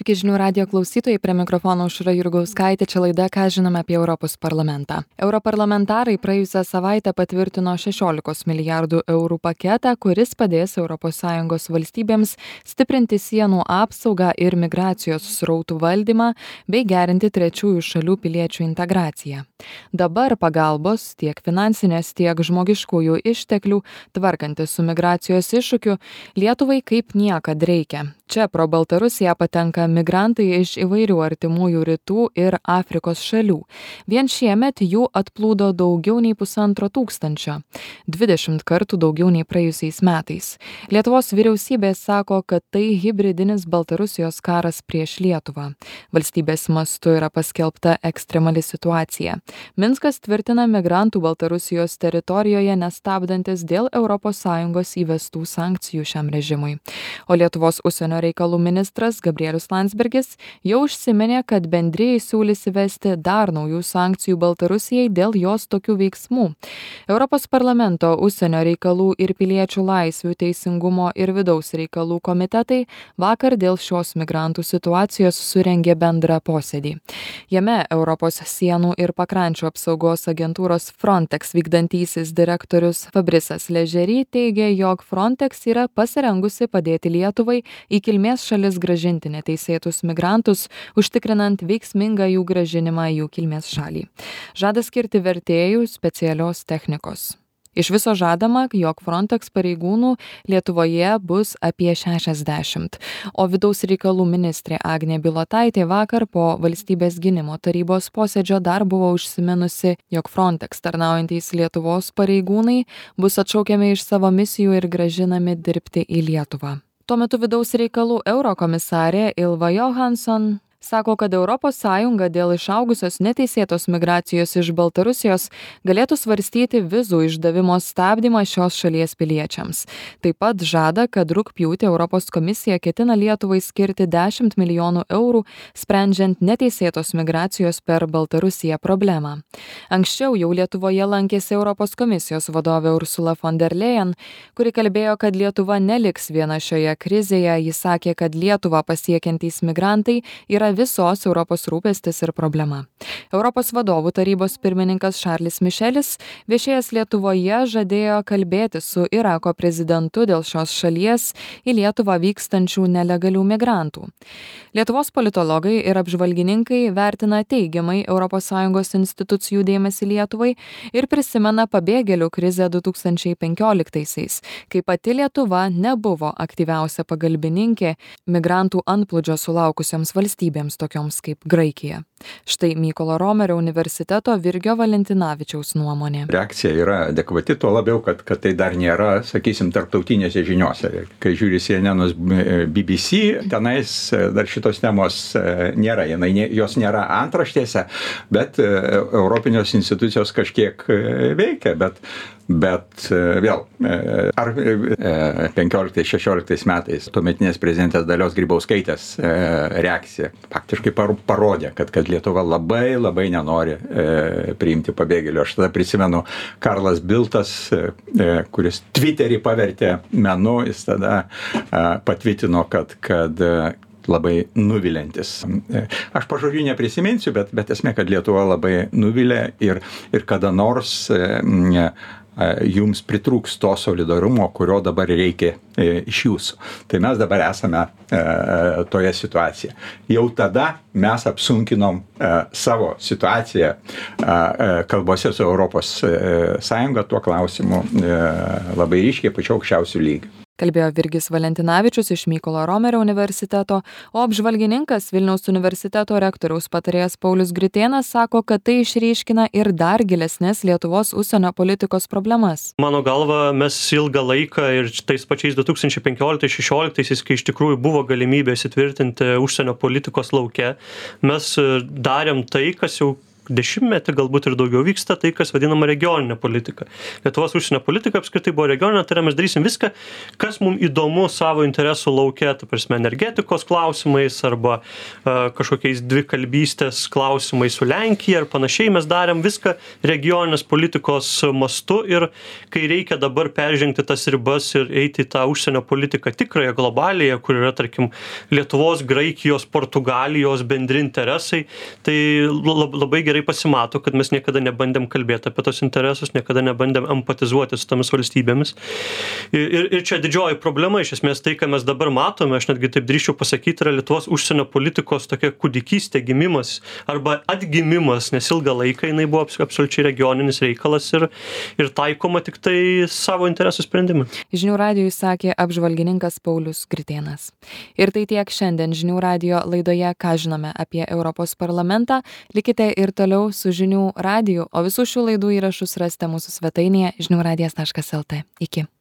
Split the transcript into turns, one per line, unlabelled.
Sveiki žinių radijo klausytojai, prie mikrofono Aušra Jurgauskaitė, čia laida Ką žinome apie Europos parlamentą. Europarlamentarai praėjusią savaitę patvirtino 16 milijardų eurų paketą, kuris padės ES valstybėms stiprinti sienų apsaugą ir migracijos srautų valdymą bei gerinti trečiųjų šalių piliečių integraciją. Dabar pagalbos tiek finansinės, tiek žmogiškųjų išteklių tvarkantis su migracijos iššūkiu Lietuvai kaip niekad reikia. Čia pro Baltarusiją patenka migrantai iš įvairių artimųjų rytų ir Afrikos šalių. Vien šiemet jų atplūdo daugiau nei 1,5 tūkstančio, 20 kartų daugiau nei praėjusiais metais. Lietuvos vyriausybė sako, kad tai hibridinis Baltarusijos karas prieš Lietuvą. Valstybės mastu yra paskelbta ekstremali situacija. Minskas tvirtina migrantų Baltarusijos teritorijoje nestabdantis dėl ES įvestų sankcijų šiam režimui. O Lietuvos užsienio reikalų ministras Gabrielius Landsbergis jau užsiminė, kad bendrijai siūlys įvesti dar naujų sankcijų Baltarusijai dėl jos tokių veiksmų. Europos parlamento užsienio reikalų ir piliečių laisvių, teisingumo ir vidaus reikalų komitetai vakar dėl šios migrantų situacijos surengė bendrą posėdį. Jame Europos sienų ir pakrančių apsaugos agentūros Frontex vykdantysis direktorius Fabrisas Ležery teigė, jog Frontex yra pasirengusi padėti Lietuvai į kilmės šalis grąžinti neteisėtus migrantus, užtikrinant veiksmingą jų grąžinimą į jų kilmės šalį. Žada skirti vertėjų specialios technikos. Iš viso žadama, jog Frontex pareigūnų Lietuvoje bus apie 60, o vidaus reikalų ministrė Agnė Bilotaitė vakar po valstybės gynimo tarybos posėdžio dar buvo užsiminusi, jog Frontex tarnaujantys Lietuvos pareigūnai bus atšaukiami iš savo misijų ir grąžinami dirbti į Lietuvą. Tuo metu vidaus reikalų eurokomisarė Ylva Johansson sako, kad ES dėl išaugusios neteisėtos migracijos iš Baltarusijos galėtų svarstyti vizų išdavimo stabdymą šios šalies piliečiams. Taip pat žada, kad rugpjūtį Europos komisija ketina Lietuvai skirti 10 milijonų eurų, sprendžiant neteisėtos migracijos per Baltarusiją problemą. Anksčiau jau Lietuvoje lankėsi Europos komisijos vadovė Ursula von der Leyen, kuri kalbėjo, kad Lietuva neliks viena šioje krizėje. Jis sakė, kad Lietuvą pasiekiantys migrantai yra visos Europos rūpestis ir problema. Europos vadovų tarybos pirmininkas Šarlis Mišelis viešėjęs Lietuvoje žadėjo kalbėti su Irako prezidentu dėl šios šalies į Lietuvą vykstančių nelegalių migrantų. Lietuvos politologai ir apžvalgininkai vertina teigiamai ES institucijų dėmesį Lietuvai ir prisimena pabėgėlių krizę 2015-aisiais, kai pati Lietuva nebuvo aktyviausia pagalbininkė migrantų antplūdžio sulaukusioms valstybėms, tokioms kaip Graikija. Štai Mykolo Romerio universiteto Virgio Valentinavičiaus nuomonė.
Reakcija yra adekvati, tuo labiau, kad tai dar nėra, sakysim, tarptautinėse žiniose. Kai žiūri CNN, BBC, tenais dar šitos temos nėra, jos nėra antraštėse, bet europinės institucijos kažkiek veikia, bet vėl, ar 15-16 metais tuometinės prezidentės Dalios Grybauskaitės reakcija faktiškai parodė, kad Lietuva labai nenori priimti pabėgėlių. Aš tada prisimenu Karlas Biltas, kuris Twitterį pavertė menu, jis tada patvitino, kad labai nuvilintis. Aš pažodžiu neprisiminsiu, bet esmė, kad Lietuva labai nuvilė ir kada nors jums pritrūks to solidarumo, kurio dabar reikia iš jūsų. Tai mes dabar esame toje situacijoje. Jau tada mes apsunkinom savo situaciją kalbose su Europos Sąjunga tuo klausimu labai ryškiai pačiu aukščiausiu lygiu.
Kalbėjo Virgis Valentinavičius iš Mykolo Romerio universiteto, o apžvalgininkas Vilniaus universiteto rektoriaus patarėjas Paulius Gritėnas sako, kad tai išryškina ir dar gilesnės Lietuvos užsienio politikos problemas.
Mano galva, mes ilgą laiką ir tais pačiais 2015-16, kai iš tikrųjų buvo galimybė įsitvirtinti užsienio politikos lauke, mes darėm tai, kas jau dešimtmetį, galbūt ir daugiau vyksta tai, kas vadinama regioninė politika. Lietuvos užsienio politika apskritai buvo regioninė, tai yra mes darysim viską, kas mums įdomu savo interesų lauke, ta prasme, energetikos klausimais arba kažkokiais dvikalbystės klausimais su Lenkija ir panašiai. Mes darėm viską regioninės politikos mastu ir kai reikia dabar peržengti tas ribas ir eiti į tą užsienio politiką tikrąją globalėje, kur yra, tarkim, Lietuvos, Graikijos, Portugalijos bendri interesai, tai labai gerai pasimato, kad mes niekada nebandėm kalbėti apie tos interesus, niekada nebandėm empatizuoti su tomis valstybėmis. Ir čia didžioji problema, iš esmės tai, ką mes dabar matome, aš netgi taip drįsčiau pasakyti, yra Lietuvos užsienio politikos tokia kūdikystė, gimimas arba atgimimas, nes ilgą laiką jinai buvo absoliučiai regioninis reikalas ir taikoma tik tai savo interesų sprendimui.
Žinių radijui sakė apžvalgininkas Paulius Gritėnas. Ir tai tiek šiandien Žinių radijo laidoje Ką žinome apie Europos parlamentą. Likite ir toliau su Žinių radiju, o visų šių laidų įrašus rasite mūsų svetainėje žiniųradijas.lt. Iki.